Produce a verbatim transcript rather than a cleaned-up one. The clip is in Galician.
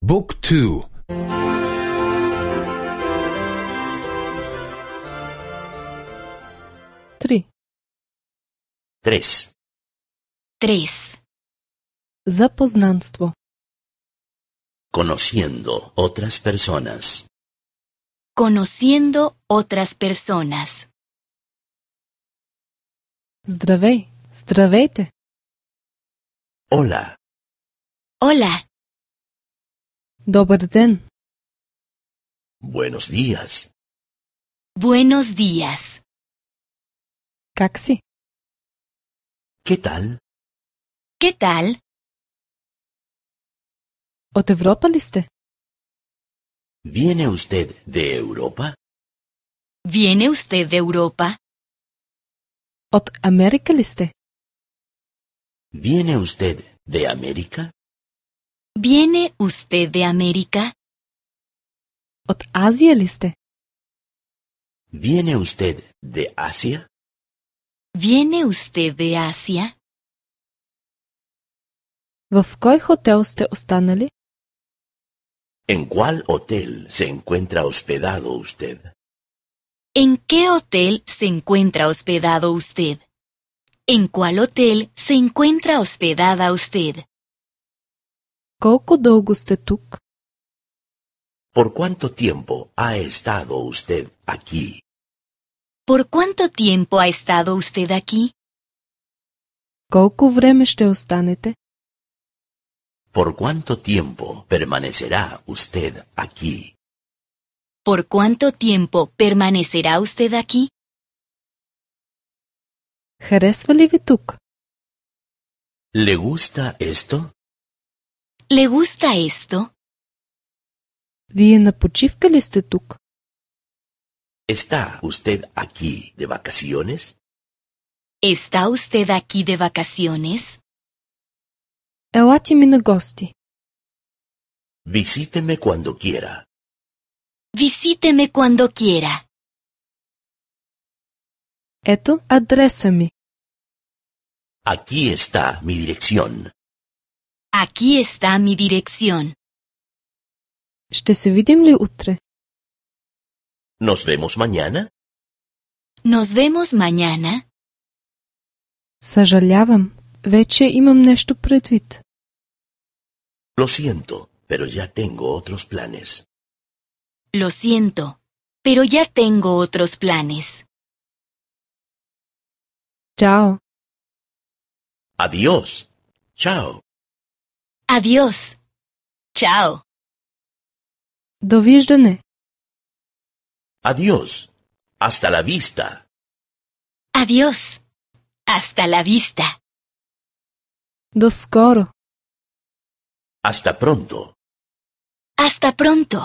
บุ๊กทูТри. Tres. Tres. Запознанство. Conociendo otras personas. Conociendo otras personas. Здравей, здравейте. Hola. Hola. Добър ден. Buenos días. Buenos días. Как си? ¿Qué tal? ¿Qué tal? От Европа ли сте? ¿Viene usted de Europa? ¿Viene usted de Europa? От Америка ли сте? ¿Viene usted de América? ¿Viene usted de América? От Азия ли сте? ¿Viene usted de Asia? ¿Viene usted de Asia? В кой хотел сте останали? ¿En cuál hotel se encuentra hospedado usted? ¿En qué hotel se encuentra hospedado usted? ¿En cuál hotel se encuentra hospedada usted? Колко дълго сте тук? ¿Por cuánto tiempo ha estado usted aquí? ¿Por cuánto tiempo ha estado usted aquí? Колко време ще останете? ¿Por cuánto tiempo permanecerá usted aquí? ¿Por cuánto tiempo permanecerá usted aquí? Харесва ли ви тук? ¿Le gusta esto? ¿Le gusta esto? Вие на почивка ли сте тук? ¿Está usted aquí de vacaciones? ¿Está usted aquí de vacaciones? Елате ми на гости. Visíteme cuando quiera. Visíteme cuando quiera. Ето адреса ми. Aquí está mi dirección. Aquí está mi dirección. Ще се видим ли утре? ¿Nos vemos mañana? Nos vemos mañana. Съжалявам, вече имам нещо предвид. Lo siento, pero ya tengo otros planes. Lo siento, pero ya tengo otros planes. Чао. Adiós. Chao. Adiós. Chao. Довиждане. Adiós. Hasta la vista. Adiós. Hasta la vista. До скоро. Hasta pronto. Hasta pronto.